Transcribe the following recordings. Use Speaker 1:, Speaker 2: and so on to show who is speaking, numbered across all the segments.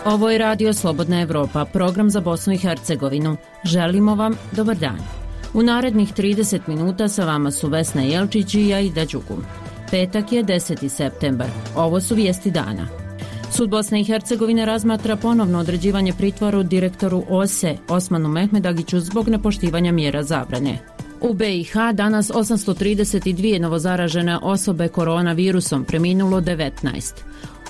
Speaker 1: Ovo je Radio Slobodna Evropa, program za Bosnu i Hercegovinu. Želimo vam dobar dan. U narednih 30 minuta sa vama su Vesna Jelčić i Aida Đugum. Petak je 10. septembar. Ovo su vijesti dana. Sud Bosne i Hercegovine razmatra ponovno određivanje pritvora direktoru OSE Osmanu Mehmedagiću zbog nepoštivanja mjera zabrane. U BiH danas 832 novozaražene osobe koronavirusom, preminulo 19.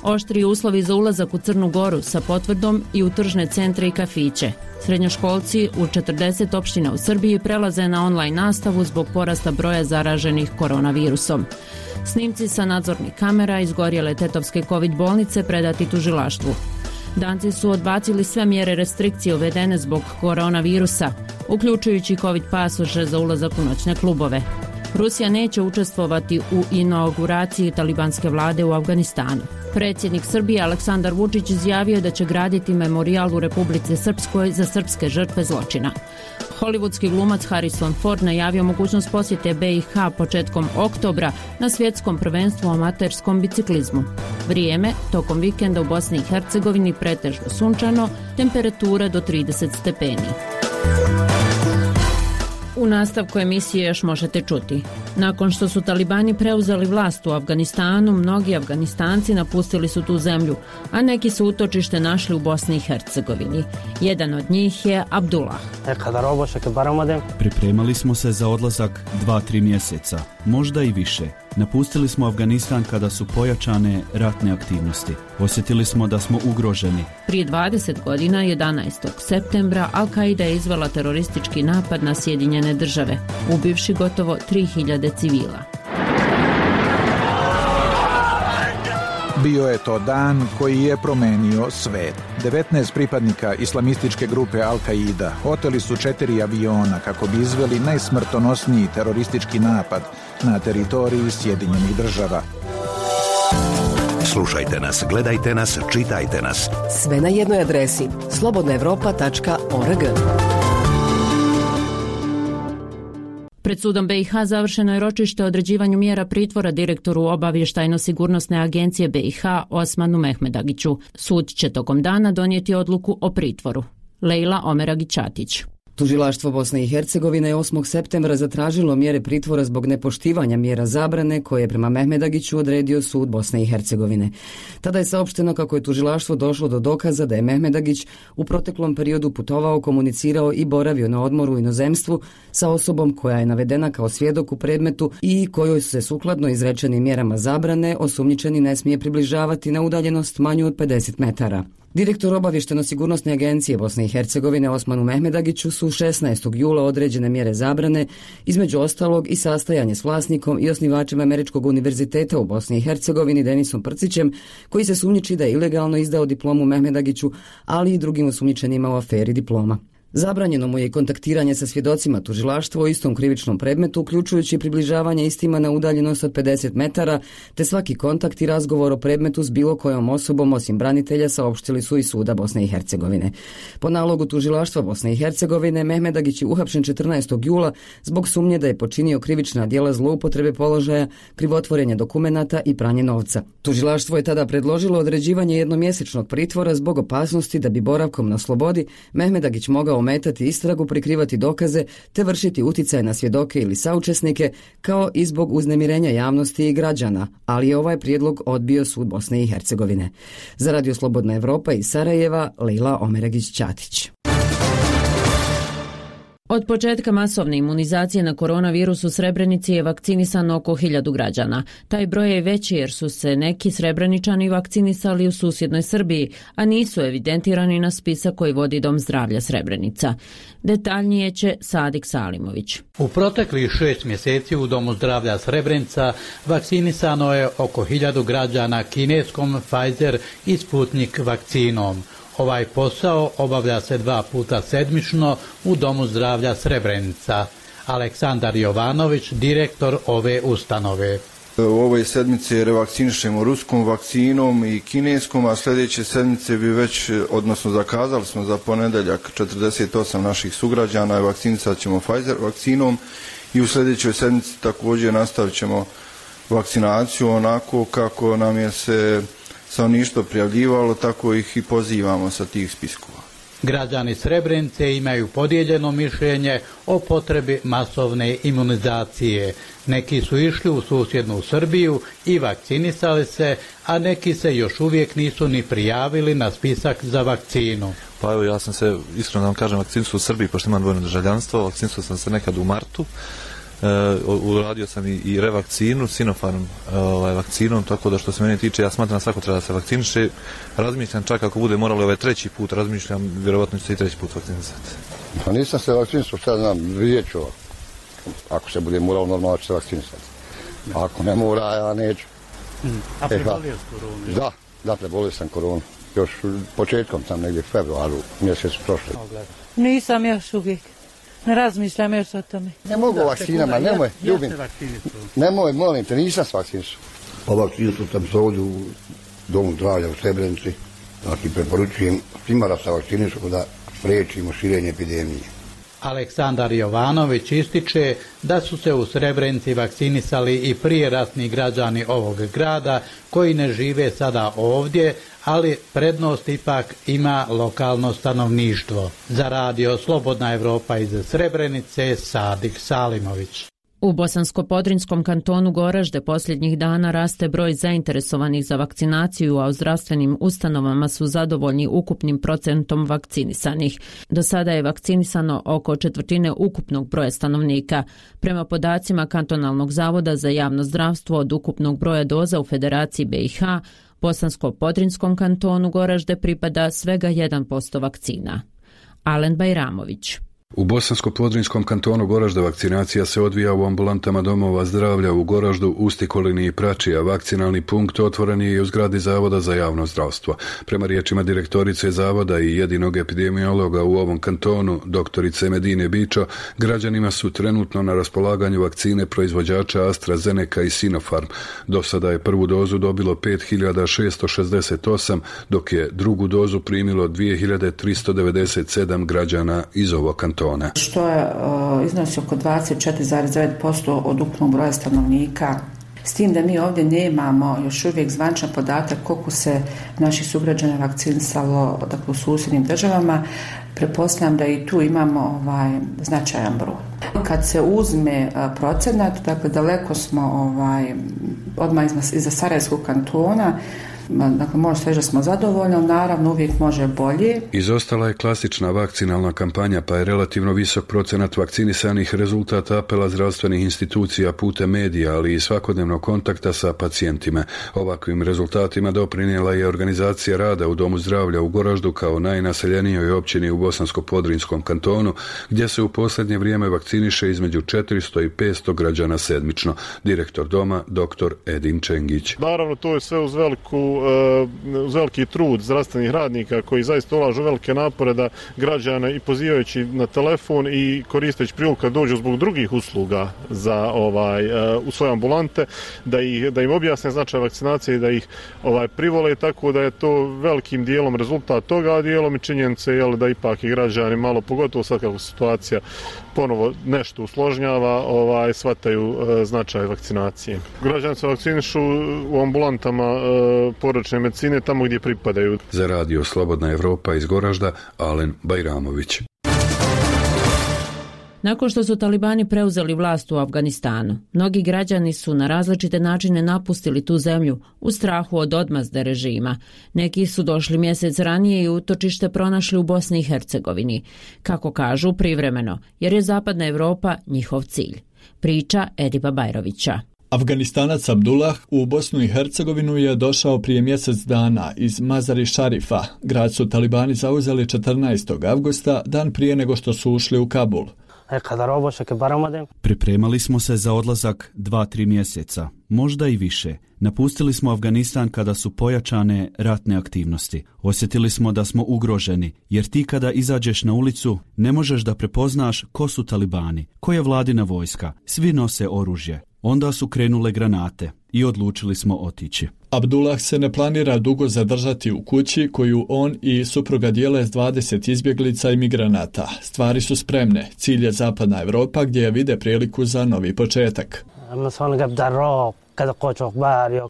Speaker 1: Oštri uslovi za ulazak u Crnu Goru sa potvrdom i u tržne centre i kafiće. Srednjoškolci u 40 opština u Srbiji prelaze na online nastavu zbog porasta broja zaraženih koronavirusom. Snimci sa nadzornih kamera izgorjele tetovske COVID bolnice predati tužilaštvu. Danci su odbacili sve mjere restrikcije uvedene zbog koronavirusa, uključujući COVID pasoše za ulazak u noćne klubove. Rusija neće učestvovati u inauguraciji talibanske vlade u Afganistanu. Predsjednik Srbije Aleksandar Vučić izjavio da će graditi memorijal u Republici Srpskoj za srpske žrtve zločina. Hollywoodski glumac Harrison Ford najavio mogućnost posjete BiH početkom oktobra na svjetskom prvenstvu u amaterskom biciklizmu. Vrijeme tokom vikenda u Bosni i Hercegovini pretežno sunčano, temperatura do 30 stepeni. U nastavku emisije još možete čuti. Nakon što su talibani preuzeli vlast u Afganistanu, mnogi Afganistanci napustili su tu zemlju, a neki su utočište našli u Bosni i Hercegovini. Jedan od njih je Abdullah.
Speaker 2: Pripremali smo se za odlazak 2-3 mjeseca, možda i više. Napustili smo Afganistan kada su pojačane ratne aktivnosti. Osjetili smo da smo ugroženi.
Speaker 1: Prije 20 godina, 11. septembra, Al-Qaida je izvela teroristički napad na Sjedinjene države, ubivši gotovo 3000 civila.
Speaker 3: Bio je to dan koji je promenio svet. 19 pripadnika islamističke grupe Al-Qaida oteli su 4 aviona kako bi izveli najsmrtonosniji teroristički napad na teritoriji Sjedinjenih država.
Speaker 4: Slušajte nas, gledajte nas, čitajte nas.
Speaker 5: Sve na jednoj adresi slobodnaevropa.org.
Speaker 1: Pred sudom BiH završeno je ročište o određivanju mjera pritvora direktoru obavještajno-sigurnosne agencije BiH Osmanu Mehmedagiću. Sud će tokom dana donijeti odluku o pritvoru. Lejla Omeragić-Ćatić.
Speaker 5: Tužilaštvo Bosne i Hercegovine je 8. septembra zatražilo mjere pritvora zbog nepoštivanja mjera zabrane koje je prema Mehmedagiću odredio sud Bosne i Hercegovine. Tada je saopšteno kako je tužilaštvo došlo do dokaza da je Mehmedagić u proteklom periodu putovao, komunicirao i boravio na odmoru u inozemstvu sa osobom koja je navedena kao svjedok u predmetu i kojoj se sukladno izrečenim mjerama zabrane osumnjičeni ne smije približavati na udaljenost manju od 50 metara. Direktor obavještajno-sigurnosne agencije Bosne i Hercegovine Osmanu Mehmedagiću su 16. jula određene mjere zabrane, između ostalog i sastajanje s vlasnikom i osnivačem Američkog univerziteta u Bosni i Hercegovini Denisom Prcićem, koji se sumnjiči da je ilegalno izdao diplomu Mehmedagiću, ali i drugim osumnjičenima u aferi diploma. Zabranjeno mu je kontaktiranje sa svjedocima tužilaštva o istom krivičnom predmetu, uključujući približavanje istima na udaljenost od 50 metara, te svaki kontakt i razgovor o predmetu s bilo kojom osobom osim branitelja saopštili su i suda Bosne i Hercegovine. Po nalogu tužilaštva Bosne i Hercegovine, Mehmedagić je uhapšen 14. jula zbog sumnje da je počinio krivična djela zloupotrebe položaja, krivotvorenja dokumenata i pranje novca. Tužilaštvo je tada predložilo određivanje jednomjesečnog pritvora zbog opasnosti da bi boravkom na slobodi Mehmedagić mogao ometati istragu, prikrivati dokaze te vršiti uticaj na svjedoke ili saučesnike, kao i zbog uznemirenja javnosti i građana, ali je ovaj prijedlog odbio sud Bosne i Hercegovine. Za Radio Slobodna Evropa iz Sarajeva, Lejla Omeragić-Ćatić.
Speaker 1: Od početka masovne imunizacije na koronavirus u Srebrenici je vakcinisano oko 1000 građana. Taj broj je veći jer su se neki Srebreničani vakcinisali u susjednoj Srbiji, a nisu evidentirani na spisak koji vodi Dom zdravlja Srebrenica. Detaljnije će Sadik Salimović.
Speaker 6: U proteklih 6 mjeseci u Domu zdravlja Srebrenica vakcinisano je oko 1000 građana kineskom Pfizer i Sputnik vakcinom. Ovaj posao obavlja se 2 puta sedmično u Domu zdravlja Srebrenica. Aleksandar Jovanović, direktor ove ustanove.
Speaker 7: U ovoj sedmici revakcinišemo ruskom vakcinom i kineskom, a sljedeće sedmice bi već, odnosno zakazali smo za ponedjeljak 48 naših sugrađana i vakcinisat ćemo Pfizer vakcinom i u sljedećoj sedmici također nastavit ćemo vakcinaciju onako kako nam je se stanovništvo prijavljivalo, tako ih i pozivamo sa tih spiskova.
Speaker 6: Građani Srebrenice imaju podijeljeno mišljenje o potrebi masovne imunizacije. Neki su išli u susjednu Srbiju i vakcinisali se, a neki se još uvijek nisu ni prijavili na spisak za vakcinu.
Speaker 8: Pa evo, ja sam se, iskreno da vam kažem, vakcinisao u Srbiji, pošto imam dvojno državljanstvo, vakcinisao sam se nekad u martu. Uradio sam i revakcinu, Sinopharm vakcinom, tako da što se mene tiče, ja smatram da svako treba da se vakciniše. Razmišljam čak ako bude moralo ovaj treći put, razmišljam, vjerovatno ću se i treći put vakcinisati.
Speaker 9: Pa nisam se vakcinisao, sad znam, vidjet ću. Ako se bude moralo, normalno ću se vakcinisati. Ako ne mora, ja neću.
Speaker 6: A prebolio s koronu?
Speaker 9: Da, prebolio sam koronu. Još početkom tam negdje februaru mjesecu prošle.
Speaker 10: Nisam još uvijek. Ne razmišljam još o tome.
Speaker 9: Ne mogu vakcinama, nemoj, ljubim. Nemoj, molim te, nisam se vakcinisao. Pa vakcinisao sam se ovdje u Domu zdravlja u Srebrenici. Znači, preporučujem svima da se vakcinišu da spriječimo širenje epidemije.
Speaker 6: Aleksandar Jovanović ističe da su se u Srebrenici vakcinisali i prije ratni građani ovog grada koji ne žive sada ovdje, ali prednost ipak ima lokalno stanovništvo. Za radio Slobodna Evropa iz Srebrenice, Sadik Salimović.
Speaker 1: U Bosansko-Podrinjskom kantonu Goražde posljednjih dana raste broj zainteresovanih za vakcinaciju, a u zdravstvenim ustanovama su zadovoljni ukupnim procentom vakcinisanih. Do sada je vakcinisano oko četvrtine ukupnog broja stanovnika. Prema podacima Kantonalnog zavoda za javno zdravstvo, od ukupnog broja doza u Federaciji BiH, Bosansko-Podrinjskom kantonu Goražde pripada svega 1% vakcina. Alen Bajramović.
Speaker 11: U Bosansko-Podrinjskom kantonu Goražde vakcinacija se odvija u ambulantama domova zdravlja u Goraždu, Ustikolini i Pračija. Vakcinalni punkt otvoren je i u zgradi Zavoda za javno zdravstvo. Prema riječima direktorice Zavoda i jedinog epidemiologa u ovom kantonu, doktorice Medine Bičo, građanima su trenutno na raspolaganju vakcine proizvođača AstraZeneca i Sinopharm. Do sada je prvu dozu dobilo 5668, dok je drugu dozu primilo 2397 građana iz ovog kantona.
Speaker 12: Što je iznosi oko 24,9% od ukupnog broja stanovnika. S tim da mi ovdje nemamo još uvijek zvančan podatak koliko se naših sugrađana vakcinisalo, dakle, u susjednim državama, pretpostavljam da i tu imamo značajan broj. Kad se uzme procenat, dakle daleko smo odmah iza Sarajevskog kantona. Dakle, može se reći da smo zadovoljni, naravno uvijek može bolje.
Speaker 11: Izostala je klasična vakcinalna kampanja, pa je relativno visok procenat vakcinisanih rezultat apela zdravstvenih institucija putem medija, ali i svakodnevnog kontakta sa pacijentima. Ovakvim rezultatima doprinijela je organizacija rada u Domu zdravlja u Goraždu kao najnaseljenijoj općini u Bosansko-Podrinjskom kantonu, gdje se u posljednje vrijeme vakciniše između 400 i 500 građana sedmično. Direktor doma, dr. Edin Čengić.
Speaker 13: Naravno, to je sve uz veliki trud zdravstvenih radnika koji zaista ulažu velike napore da građane i pozivajući na telefon i koristeći priliku kad dođu zbog drugih usluga za u svoje ambulante, da im objasne značaj vakcinacije i da ih privole, tako da je to velikim dijelom rezultat toga, a dijelom i činjenice da ipak i građani malo, pogotovo sad kako situacija ponovo nešto usložnjava, shvataju značaj vakcinacije. Građani se vakcinišu u ambulantama porodične medicine tamo gdje pripadaju.
Speaker 11: Za radio Slobodna Evropa iz Goražda, Alen Bajramović.
Speaker 1: Nakon što su talibani preuzeli vlast u Afganistanu, mnogi građani su na različite načine napustili tu zemlju u strahu od odmazde režima. Neki su došli mjesec ranije i utočište pronašli u Bosni i Hercegovini, kako kažu privremeno, jer je Zapadna Evropa njihov cilj. Priča Ediba Bajrovića.
Speaker 14: Afganistanac Abdullah u Bosnu i Hercegovinu je došao prije mjesec dana iz Mazari Šarifa. Grad su talibani zauzeli 14. avgusta, dan prije nego što su ušli u Kabul.
Speaker 2: Pripremali smo se za odlazak 2-3 mjeseca, možda i više. Napustili smo Afganistan kada su pojačane ratne aktivnosti. Osjetili smo da smo ugroženi, jer ti kada izađeš na ulicu ne možeš da prepoznaš ko su talibani, ko je vladina vojska. Svi nose oružje. Onda su krenule granate i odlučili smo otići.
Speaker 14: Abdullah se ne planira dugo zadržati u kući koju on i supruga dijele s 20 izbjeglica i migranata. Stvari su spremne. Cilj je zapadna Evropa gdje je vide priliku za novi početak.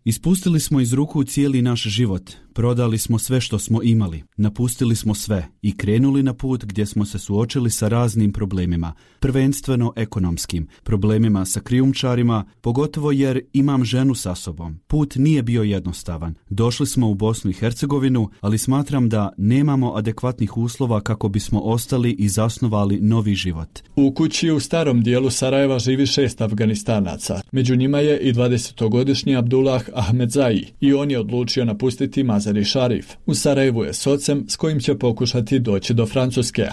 Speaker 2: Ispustili smo iz ruku cijeli naš život. Prodali smo sve što smo imali, napustili smo sve i krenuli na put gdje smo se suočili sa raznim problemima, prvenstveno ekonomskim, problemima sa krijumčarima, pogotovo jer imam ženu sa sobom. Put nije bio jednostavan. Došli smo u Bosnu i Hercegovinu, ali smatram da nemamo adekvatnih uslova kako bismo ostali i zasnovali novi život.
Speaker 14: U kući u starom dijelu Sarajeva živi 6 Afganistanaca. Među njima je i 20-godišnji Abdullah Ahmedzai i on je odlučio napustiti Mazar-i Sharif. U Sarajevu je s ocem s kojim će pokušati doći do Francuske.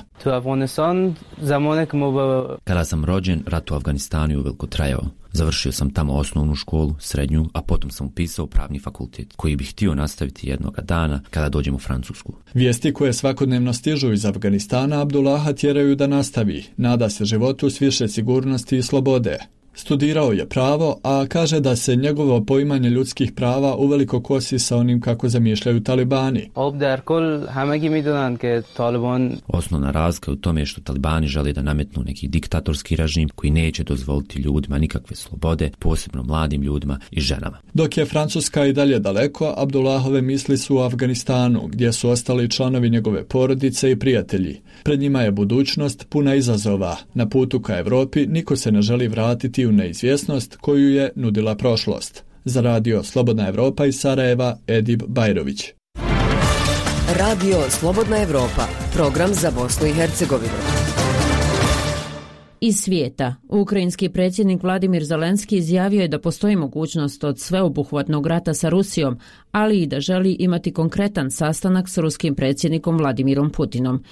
Speaker 15: Kada sam rođen, rat u Afganistanu je uveliko trajao. Završio sam tamo osnovnu školu, srednju, a potom sam upisao pravni fakultet, koji bih htio nastaviti jednoga dana kada dođem u Francusku.
Speaker 14: Vijesti koje svakodnevno stižu iz Afganistana Abdullaha tjeraju da nastavi. Nada se životu s više sigurnosti i slobode. Studirao je pravo, a kaže da se njegovo poimanje ljudskih prava uveliko kosi sa onim kako zamišljaju talibani.
Speaker 15: Osnovna razlika je u tome što talibani žele da nametnu neki diktatorski režim koji neće dozvoliti ljudima nikakve slobode, posebno mladim ljudima i ženama.
Speaker 14: Dok je Francuska i dalje daleko, Abdullahove misli su u Afganistanu, gdje su ostali članovi njegove porodice i prijatelji. Pred njima je budućnost puna izazova. Na putu ka Europi niko se ne želi vratiti u neizvjesnost koju je nudila prošlost. Za radio Slobodna Evropa iz Sarajeva, Edib Bajrović.
Speaker 16: Radio Slobodna Evropa, program za Bosnu i Hercegovinu.
Speaker 1: Iz svijeta, ukrajinski predsjednik Vladimir Zelenski izjavio je da postoji mogućnost od sveobuhvatnog rata sa Rusijom, ali i da želi imati konkretan sastanak s ruskim predsjednikom Vladimirom Putinom.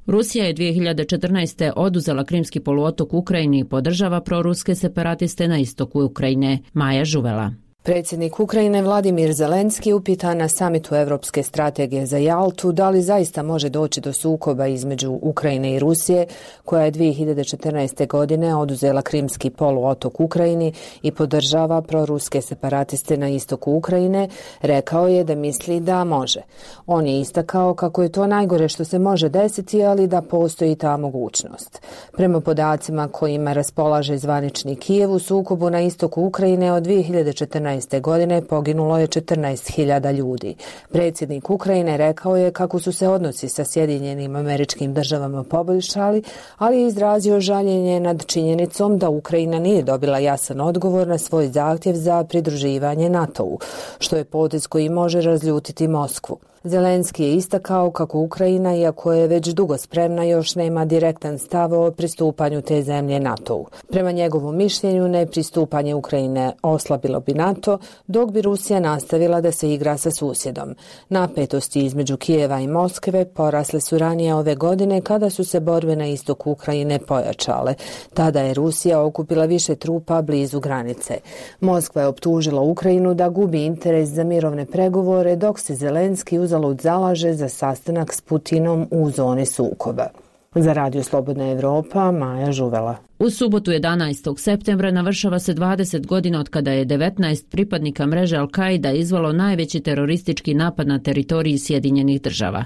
Speaker 1: Rusija je 2014. oduzela Krimski poluotok Ukrajini i podržava proruske separatiste na istoku Ukrajine. Maja Žuvela.
Speaker 17: Predsjednik Ukrajine Vladimir Zelenski upitan na samitu Europske strategije za Jaltu da li zaista može doći do sukoba između Ukrajine i Rusije, koja je 2014. godine oduzela Krimski poluotok Ukrajini i podržava proruske separatiste na istoku Ukrajine, rekao je da misli da može. On je istakao kako je to najgore što se može desiti, ali da postoji ta mogućnost. Prema podacima kojima raspolaže zvanični Kijev, u sukobu na istoku Ukrajine od 2014. godine poginulo je 14.000 ljudi. Predsjednik Ukrajine rekao je kako su se odnosi sa Sjedinjenim Američkim Državama poboljšali, ali je izrazio žaljenje nad činjenicom da Ukrajina nije dobila jasan odgovor na svoj zahtjev za pridruživanje NATO-u, što je potez koji može razljutiti Moskvu. Zelenski je istakao kako Ukrajina, iako je već dugo spremna, još nema direktan stav o pristupanju te zemlje NATO-u. Prema njegovom mišljenju, nepristupanje Ukrajine oslabilo bi NATO, dok bi Rusija nastavila da se igra sa susjedom. Napetosti između Kijeva i Moskve porasle su ranije ove godine kada su se borbe na istoku Ukrajine pojačale. Tada je Rusija okupila više trupa blizu granice. Moskva je optužila Ukrajinu da gubi interes za mirovne pregovore, dok se Zelenski uzalud zalaže za sastanak s Putinom u zoni sukoba. Za radio Slobodna Evropa, Maja Žuvela.
Speaker 1: U subotu 11. septembra navršava se 20 godina od kada je 19 pripadnika mreže Al-Qaida izvelo najveći teroristički napad na teritoriji Sjedinjenih Država.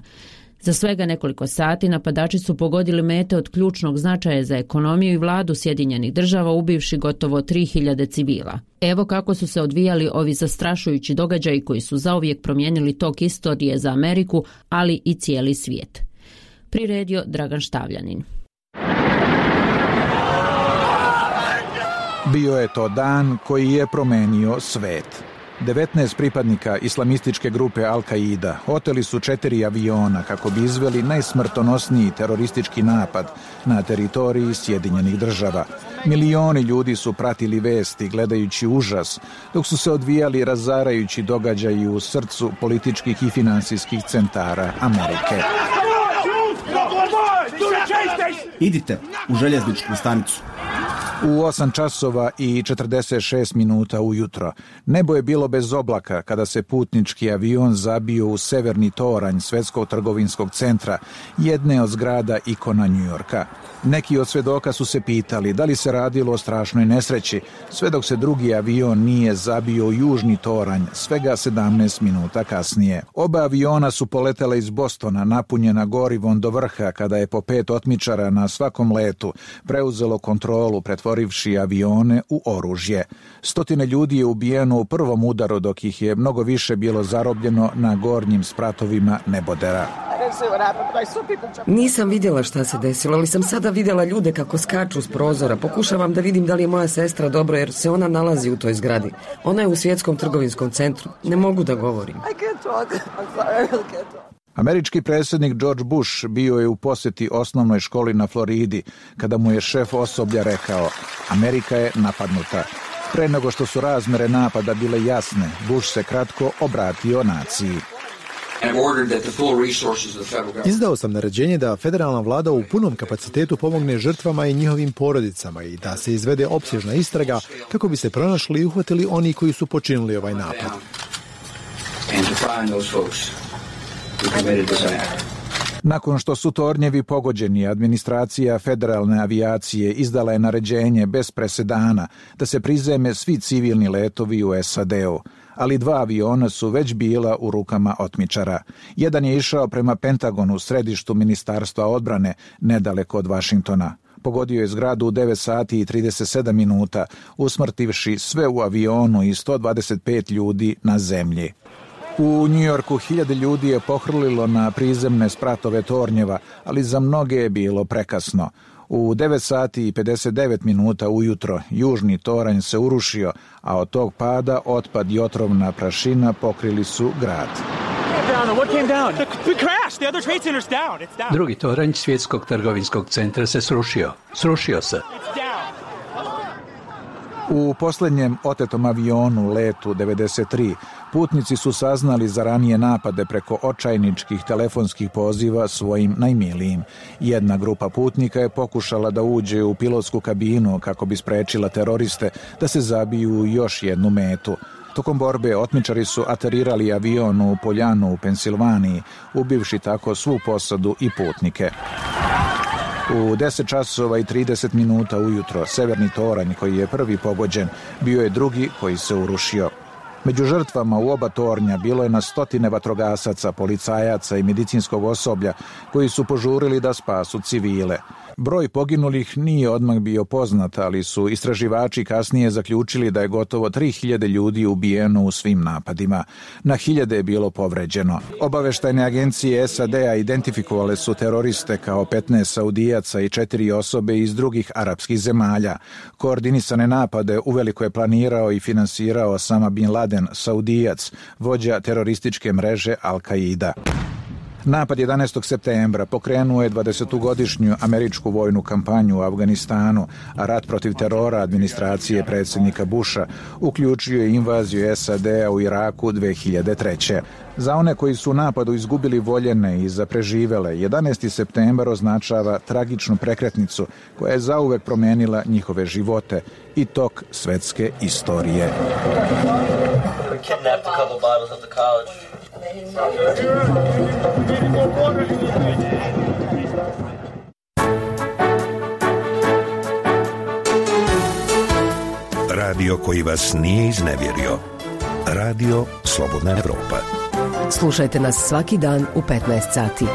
Speaker 1: Za svega nekoliko sati napadači su pogodili mete od ključnog značaja za ekonomiju i vladu Sjedinjenih Država, ubivši gotovo 3000 civila. Evo kako su se odvijali ovi zastrašujući događaji koji su zauvijek promijenili tok istorije za Ameriku, ali i cijeli svijet. Priredio Dragan Štavljanin.
Speaker 3: Bio je to dan koji je promenio svet. 19 pripadnika islamističke grupe Al-Qaida oteli su 4 aviona kako bi izveli najsmrtonosniji teroristički napad na teritoriji Sjedinjenih Država. Milioni ljudi su pratili vesti gledajući užas dok su se odvijali razarajući događaji u srcu političkih i finansijskih centara Amerike.
Speaker 18: Idite u željezničku stanicu.
Speaker 3: U 8 časova i 46 minuta ujutro nebo je bilo bez oblaka kada se putnički avion zabio u severni toranj Svjetskog trgovinskog centra, jedne od zgrada ikona Njujorka. Neki od svedoka su se pitali da li se radilo o strašnoj nesreći, sve dok se drugi avion nije zabio u južni toranj svega 17 minuta kasnije. Oba aviona su poletela iz Bostona napunjena gorivom do vrha kada je po 5 otmičara na svakom letu preuzelo kontrolu pretvorivši avione u oružje. Stotine ljudi je ubijeno u prvom udaru dok ih je mnogo više bilo zarobljeno na gornjim spratovima nebodera.
Speaker 5: Nisam vidjela šta se desilo, ali sam sada vidjela ljude kako skaču s prozora. Pokušavam da vidim da li je moja sestra dobro jer se ona nalazi u toj zgradi. Ona je u Svjetskom trgovinskom centru. Ne mogu da govorim.
Speaker 3: Američki predsjednik George Bush bio je u posjeti osnovnoj školi na Floridi kada mu je šef osoblja rekao: Amerika je napadnuta. Pre nego što su razmere napada bile jasne, Bush se kratko obratio naciji.
Speaker 18: Izdao sam naređenje da federalna vlada u punom kapacitetu pomogne žrtvama i njihovim porodicama i da se izvede opsežna istraga kako bi se pronašli i uhvatili oni koji su počinili ovaj napad.
Speaker 3: Nakon što su tornjevi pogođeni, administracija federalne avijacije izdala je naređenje bez presedana da se prizeme svi civilni letovi u SAD-u, ali 2 aviona su već bila u rukama otmičara. Jedan je išao prema Pentagonu u središtu Ministarstva odbrane, nedaleko od Vašingtona. Pogodio je zgradu u 9 sati i 37 minuta, usmrtivši sve u avionu i 125 ljudi na zemlji. U Njujorku 1000 ljudi je pohrlilo na prizemne spratove tornjeva, ali za mnoge je bilo prekasno. U 9 sati i 59 minuta ujutro južni toranj se urušio, a od tog pada otpad i otrovna prašina pokrili su grad.
Speaker 19: Drugi toranj Svjetskog trgovinskog centra se srušio. Srušio se.
Speaker 3: U posljednjem otetom avionu letu 93 putnici su saznali za ranije napade preko očajničkih telefonskih poziva svojim najmilijim. Jedna grupa putnika je pokušala da uđe u pilotsku kabinu kako bi sprečila teroriste da se zabiju u još jednu metu. Tokom borbe otmičari su aterirali avion u Poljanu u Pensilvaniji, ubivši tako svu posadu i putnike. U 10 časova i 30 minuta ujutro severni toranj koji je prvi pogođen bio je drugi koji se urušio. Među žrtvama u oba tornja bilo je na stotine vatrogasaca, policajaca i medicinskog osoblja koji su požurili da spasu civile. Broj poginulih nije odmah bio poznat, ali su istraživači kasnije zaključili da je gotovo 3000 ljudi ubijeno u svim napadima. Na 1000 je bilo povređeno. Obaveštajne agencije SAD-a identifikovale su teroriste kao 15 Saudijaca i 4 osobe iz drugih arapskih zemalja. Koordinisane napade uveliko je planirao i finansirao Osama bin Laden, Saudijac, vođa terorističke mreže Al-Qaida. Napad 11. septembra pokrenuo je 20-godišnju američku vojnu kampanju u Afganistanu, a rat protiv terora administracije predsjednika Busha uključio je invaziju SAD-a u Iraku 2003. Za one koji su u napadu izgubili voljene i za preživele, 11. septembar označava tragičnu prekretnicu koja je zauvek promenila njihove živote i tok svetske istorije.
Speaker 4: Radio koji vas nije iznevjerio. Radio Slobodna Evropa.
Speaker 16: Slušajte nas svaki dan u 15 sati.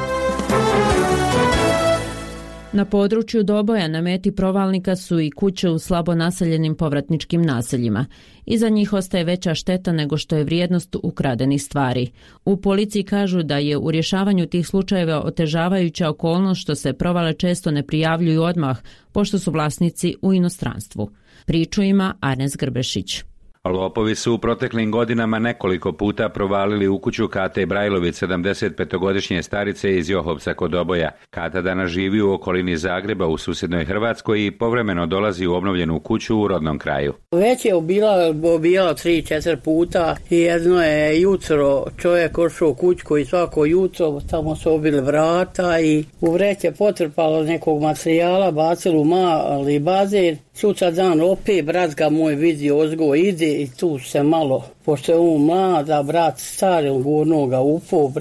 Speaker 1: Na području Doboja na meti provalnika su i kuće u slabo naseljenim povratničkim naseljima. Iza njih ostaje veća šteta nego što je vrijednost ukradenih stvari. U policiji kažu da je u rješavanju tih slučajeva otežavajuća okolnost što se provale često ne prijavljuju odmah, pošto su vlasnici u inostranstvu. Priču ima Arnes Grbešić.
Speaker 20: Lopovi su u proteklim godinama nekoliko puta provalili u kuću Kate Brajlović, 75-godišnje starice iz Johovca kod Doboja. Kata danas živi u okolini Zagreba u susjednoj Hrvatskoj i povremeno dolazi u obnovljenu kuću u rodnom kraju.
Speaker 21: Već je obijala 3-4 puta i jedno je jutro čovjek ošao kućku i svako jutro tamo su obili vrata i u vreće potrpalo nekog materijala, bacilo u mali bazen. Sutra dan opet brat ga moj vidio ozgo ide i tu se malo, pošto je on mlada, brat stari, on gurno ga upao,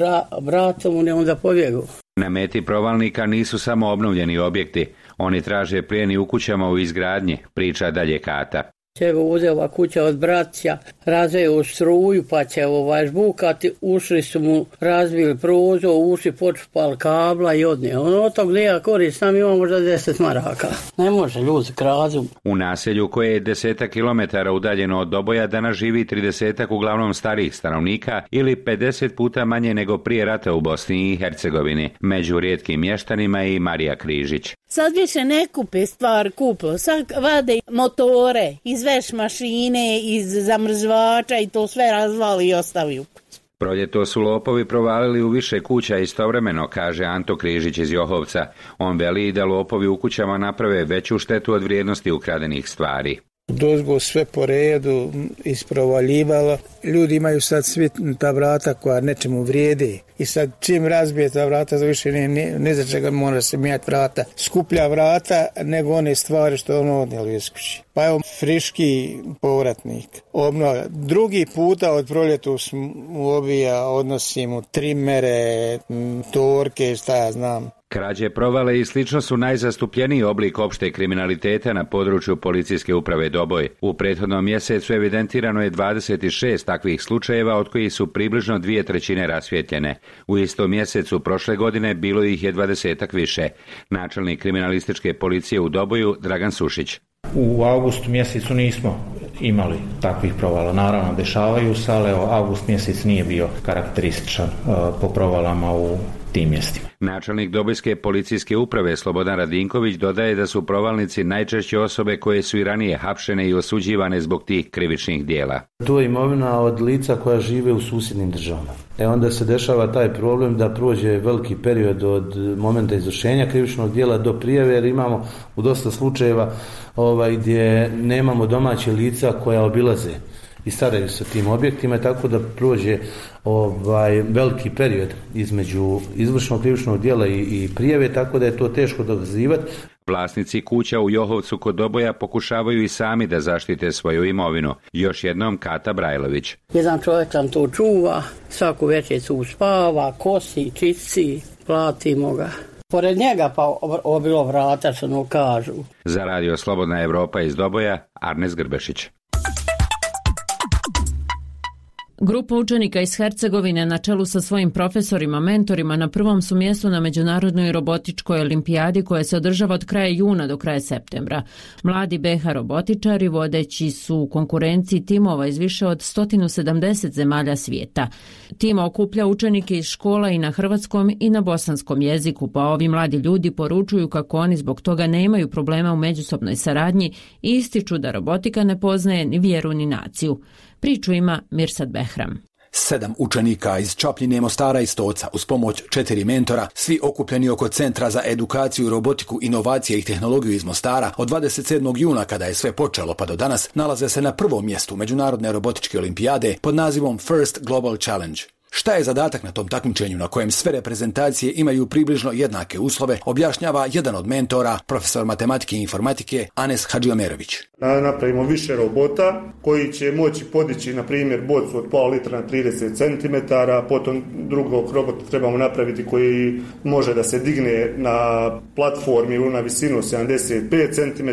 Speaker 21: bratom on onda pobjegao.
Speaker 20: Na meti provalnika nisu samo obnovljeni objekti, oni traže plijeni u kućama u izgradnji, priča dalje Kata.
Speaker 21: Će uzela kuća od braća, razveo struju pa će žbukati, ušli su mu, razbili prozor, ušli počupali kabla i odnije. Od tog gdje ja korist, sam ima možda 10 maraka. Ne može, ljudi krazu.
Speaker 20: U naselju koje je 10 kilometara udaljeno od Doboja danas živi 30 uglavnom starijih stanovnika ili 50 puta manje nego prije rata u Bosni i Hercegovini. Među rijetkim mještanima je i Marija Križić.
Speaker 22: Sad više ne kupe stvar kuplo, sad vade motore, iz veš mašine, iz zamrzvača i to sve razvali i ostavi u kući.
Speaker 20: Proljeto su lopovi provalili u više kuća istovremeno, kaže Anto Križić iz Johovca. On veli da lopovi u kućama naprave veću štetu od vrijednosti ukradenih stvari.
Speaker 23: Dozgo sve po redu isprovaljivalo. Ljudi imaju sad svi ta vrata koja nečemu vrijede. I sad čim razbije ta vrata, za više ne za čega mora se mijati vrata. Skuplja vrata nego one stvari što ono odnijeli iz kući. Pa evo friški povratnik. Obnova. Drugi puta od proljetu mu obija, odnosi mu trimere, torke, šta ja znam.
Speaker 20: Krađe, provale i slično su najzastupljeniji oblik opšte kriminaliteta na području policijske uprave Doboj. U prethodnom mjesecu evidentirano je 26 takvih slučajeva, od kojih su približno 2/3 rasvijetljene. U istom mjesecu prošle godine bilo ih je 20-ak više. Načelnik kriminalističke policije u Doboju Dragan Sušić.
Speaker 24: U avgustu mjesecu nismo imali takvih provala. Naravno, dešavaju se, ali avgust mjesec nije bio karakterističan po provalama u tim mjestima.
Speaker 20: Načelnik Dobojske policijske uprave Slobodan Radinković dodaje da su provalnici najčešće osobe koje su i ranije hapšene i osuđivane zbog tih krivičnih dijela.
Speaker 25: To je imovina od lica koja žive u susjednim državama. Onda se dešava taj problem da prođe veliki period od momenta izvršenja krivičnog dijela do prijave, jer imamo u dosta slučajeva gdje nemamo domaće lica koja obilaze i staraju se tim objektima, tako da prođe veliki period između izvršenog krivičnog djela i prijave, tako da je to teško dokazivati.
Speaker 20: Vlasnici kuća u Johovcu kod Doboja pokušavaju i sami da zaštite svoju imovinu. Još jednom Kata Brajlović.
Speaker 21: Jedan čovjek tam to čuva, svaku večericu uspava, kosi, čisti, platimo ga. Pored njega pa obilo vrata, što no kažu.
Speaker 20: Za radio Slobodna Evropa iz Doboja, Arnes Grbešić.
Speaker 1: Grupa učenika iz Hercegovine na čelu sa svojim profesorima, mentorima na prvom su mjestu na Međunarodnoj robotičkoj olimpijadi koja se održava od kraja juna do kraja septembra. Mladi BH robotičari vodeći su u konkurenciji timova iz više od 170 zemalja svijeta. Tim okuplja učenike iz škola i na hrvatskom i na bosanskom jeziku, pa ovi mladi ljudi poručuju kako oni zbog toga nemaju problema u međusobnoj saradnji i ističu da robotika ne poznaje ni vjeru ni naciju. Priču ima Mirsad Behram.
Speaker 26: 7 učenika iz Čapljine, Mostara i Stoca uz pomoć 4 mentora, svi okupljeni oko Centra za edukaciju, robotiku, inovacije i tehnologiju iz Mostara, od 27. juna kada je sve počelo pa do danas, nalaze se na prvom mjestu Međunarodne robotičke olimpijade pod nazivom First Global Challenge. Šta je zadatak na tom takmičenju na kojem sve reprezentacije imaju približno jednake uslove, objašnjava jedan od mentora, profesor matematike i informatike Anes Hadžiomerović.
Speaker 27: Napravimo više robota koji će moći podići, na primjer, bocu od pola litra na 30 cm, potom drugog robota trebamo napraviti koji može da se digne na platformi na visinu 75 cm,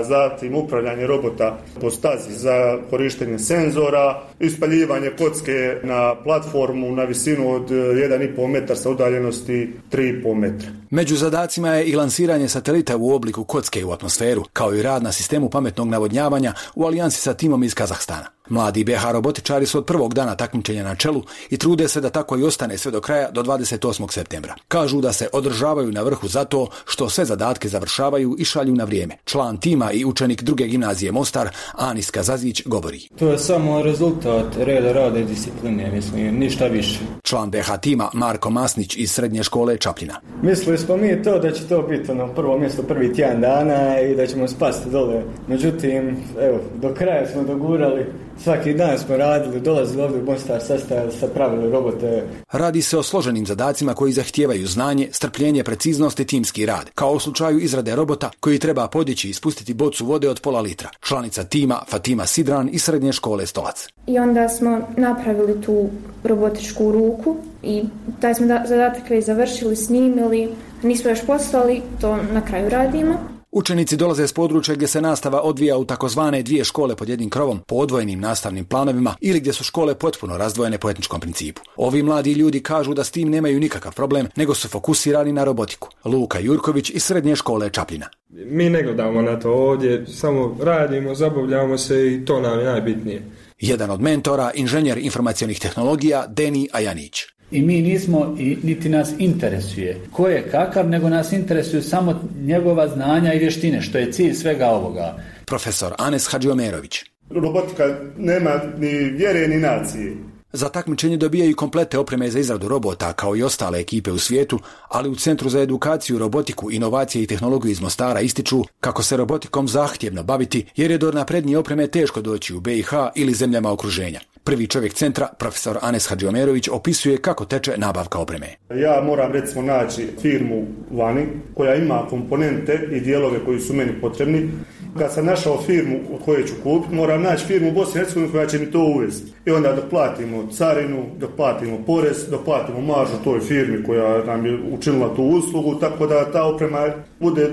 Speaker 27: zatim upravljanje robota po stazi za korištenje senzora, ispaljivanje kocke na platformu na visinu od 1,5 metra sa udaljenosti 3,5 metra.
Speaker 26: Među zadacima je i lansiranje satelita u obliku kocke u atmosferu, kao i rad na sistemu pametnog navodnjavanja u alijansi sa timom iz Kazahstana. Mladi BH robotičari su od prvog dana takmičenja na čelu i trude se da tako i ostane sve do kraja do 28. septembra. Kažu da se održavaju na vrhu zato što sve zadatke završavaju i šalju na vrijeme. Član tima i učenik druge gimnazije Mostar, Anis Kazazić, govori.
Speaker 6: To je samo rezultat reda, rada i discipline, mislim, ništa više.
Speaker 26: Član BH tima Marko Masnić iz srednje škole Čapljina.
Speaker 6: Mislili smo mi to da će to biti prvo mjesto prvi tjedan dana i da ćemo spasti dole. Međutim, evo, do kraja smo dogurali. Svaki dan smo radili, dolazili ovdje u Mostar, sastavili, pravili robote.
Speaker 26: Radi se o složenim zadacima koji zahtijevaju znanje, strpljenje, preciznost i timski rad, kao u slučaju izrade robota koji treba podići i spustiti bocu vode od pola litra. Članica tima Fatima Sidran iz srednje škole Stolac.
Speaker 7: I onda smo napravili tu robotičku ruku i taj smo zadatak već završili, snimili, nismo još poslali, to na kraju radimo.
Speaker 26: Učenici dolaze s područja gdje se nastava odvija u takozvane dvije škole pod jednim krovom po odvojenim nastavnim planovima ili gdje su škole potpuno razdvojene po etničkom principu. Ovi mladi ljudi kažu da s tim nemaju nikakav problem, nego su fokusirani na robotiku. Luka Jurković iz srednje škole Čapljina.
Speaker 8: Mi ne gledamo na to ovdje, samo radimo, zabavljamo se i to nam je najbitnije.
Speaker 26: Jedan od mentora, inženjer informacionih tehnologija Deni Ajanić.
Speaker 9: I mi nismo, i niti nas interesuje ko je kakav, nego nas interesuju samo njegova znanja i vještine, što je cilj svega ovoga.
Speaker 26: Profesor Anes Hadžiomerović.
Speaker 27: Robotika nema ni vjere ni nacije.
Speaker 26: Za takmičenje dobijaju komplete opreme za izradu robota kao i ostale ekipe u svijetu, ali u Centru za edukaciju, robotiku, inovacije i tehnologiju iz Mostara ističu kako se robotikom zahtjevno baviti jer je do naprednije opreme teško doći u BiH ili zemljama okruženja. Prvi čovjek centra, profesor Anes Hadžiomerović, opisuje kako teče nabavka opreme.
Speaker 27: Ja moram recimo naći firmu vani koja ima komponente i dijelove koji su meni potrebni. Kad sam našao firmu od koje ću kupiti, moram naći firmu u Bosni i Hercegovini koja će mi to uvesti. I onda dok platimo carinu, dok platimo porez, dok platimo maržu toj firmi koja nam je učinila tu uslugu, tako da ta oprema bude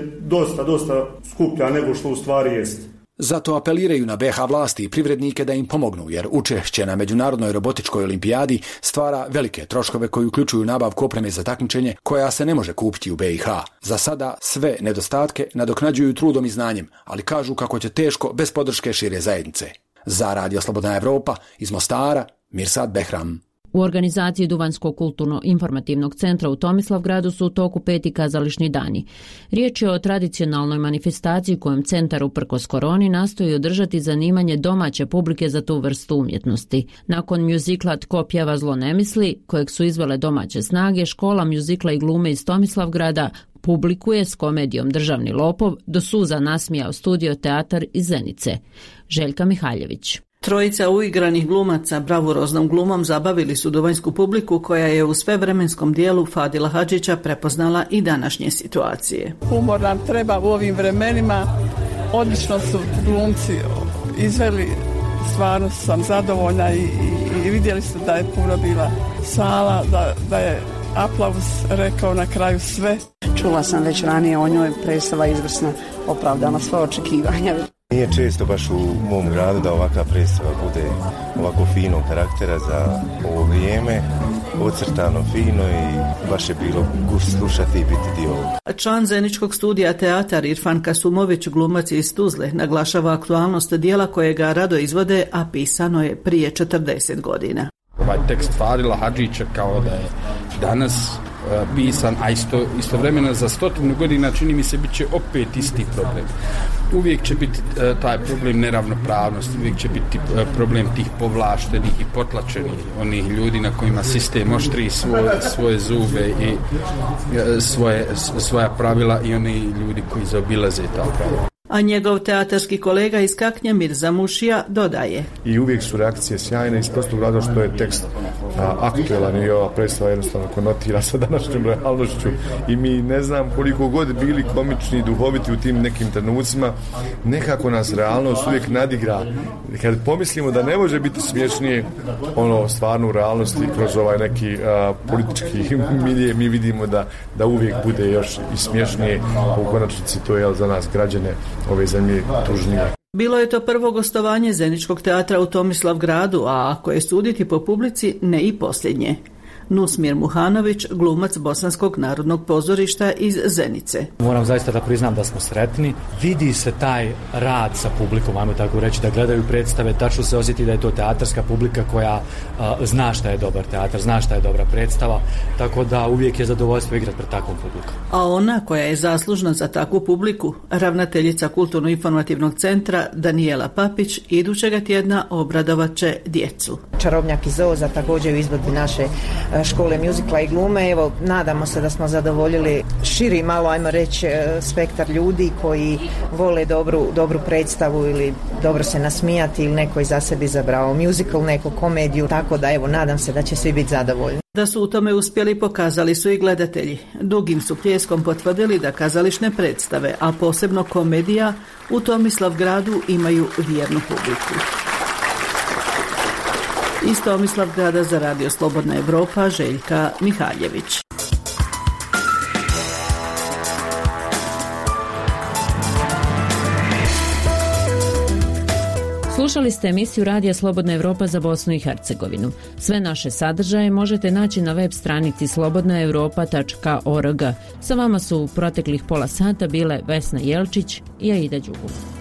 Speaker 27: dosta skuplja nego što u stvari jest.
Speaker 26: Zato apeliraju na BiH vlasti i privrednike da im pomognu, jer učešće na Međunarodnoj robotičkoj olimpijadi stvara velike troškove koji uključuju nabavku opreme za takmičenje koja se ne može kupiti u BiH. Za sada sve nedostatke nadoknađuju trudom i znanjem, ali kažu kako će teško bez podrške šire zajednice. Za Radio Slobodna Evropa iz Mostara, Mirsad Behram.
Speaker 1: U organizaciji Duvanjskog kulturno-informativnog centra u Tomislavgradu su u toku 5. kazališni dani. Riječ je o tradicionalnoj manifestaciji kojom centar uprkos koroni nastoji održati zanimanje domaće publike za tu vrstu umjetnosti. Nakon mjuzikla Tko pjeva zlo ne misli, kojeg su izvele domaće snage, škola mjuzikla i glume iz Tomislavgrada publikuje s komedijom Državni lopov do suza nasmijao studio teatar iz Zenice. Željka Mihaljević.
Speaker 10: Trojica uigranih glumaca bravuroznom glumom zabavili su duvanjsku publiku koja je u svevremenskom dijelu Fadila Hadžića prepoznala i današnje situacije.
Speaker 12: Humor nam treba u ovim vremenima, odlično su glumci izveli, stvarno sam zadovoljna i vidjeli ste da je puno bila sala, da je aplauz rekao na kraju sve.
Speaker 13: Čula sam već ranije o njoj, predstava izvrsna, opravdana sva očekivanja.
Speaker 28: Nije često baš u mom gradu da ovakva predstava bude ovako finog karaktera za ovo vrijeme, ocrtano fino i baš je bilo gust slušati i biti dio ovoga.
Speaker 10: Član Zeničkog studija teatar Irfan Kasumović, glumac iz Tuzle, naglašava aktualnost dijela kojega rado izvode, a pisano je prije 40 godina.
Speaker 29: Ovaj tekst Fadila Hadžića kao da je danas pisan, a istovremeno za 100 godina čini mi se bit će opet isti problem. Uvijek će biti taj problem neravnopravnosti, uvijek će biti problem tih povlaštenih i potlačenih onih ljudi na kojima sistem oštri svoje zube i svoja pravila i oni ljudi koji zaobilaze ta pravila.
Speaker 10: A njegov teatarski kolega iz Kaknja Mirza Mušija dodaje.
Speaker 30: I uvijek su reakcije sjajne iz prostog razloga što je tekst aktuelan i ova predstava jednostavno konotira sa današnjom realnošću i mi ne znam koliko god bili komični i duhoviti u tim nekim trenucima, nekako nas realnost uvijek nadigra. Kad pomislimo da ne može biti smješnije ono stvarno u realnosti kroz ovaj neki politički milije, mi vidimo da uvijek bude još i smješnije, u konačnici to je za nas građane ove zemlje tužnije.
Speaker 10: Bilo je to prvo gostovanje Zeničkog teatra u Tomislavgradu, a ako je suditi po publici, ne i posljednje. Nusmir Muhanović, glumac Bosanskog narodnog pozorišta iz Zenice.
Speaker 2: Moram zaista da priznam da smo sretni. Vidi se taj rad sa publikom, ajmo tako reći, da gledaju predstave, tačno se osjeti da je to teatarska publika koja zna šta je dobar teatar, zna šta je dobra predstava, tako da uvijek je zadovoljstvo igrati pred takvom publikom.
Speaker 10: A ona koja je zaslužna za takvu publiku, ravnateljica Kulturno-informativnog centra Danijela Papić, idućega tjedna obradovat će djecu.
Speaker 3: Čarobnjak iz Oza također u izvedbi naše škole muzikla i glume. Evo, nadamo se da smo zadovoljili širi malo, ajmo reći, spektar ljudi koji vole dobru predstavu ili dobro se nasmijati ili neko za sebi izabrao muzikal, neko komediju, tako da evo, nadam se da će svi biti zadovoljni.
Speaker 10: Da su u tome uspjeli pokazali su i gledatelji. Dugim su pljeskom potvrdili da kazališne predstave, a posebno komedija, u Tomislavgradu imaju vjernu publiku. Iz Tomislavgrada za Radio Slobodna Evropa, Željka Mihaljević.
Speaker 1: Slušali ste emisiju Radija Slobodna Evropa za Bosnu i Hercegovinu. Sve naše sadržaje možete naći na web stranici slobodnaevropa.org. Sa vama su u proteklih pola sata bile Vesna Jelčić i Aida Đugum.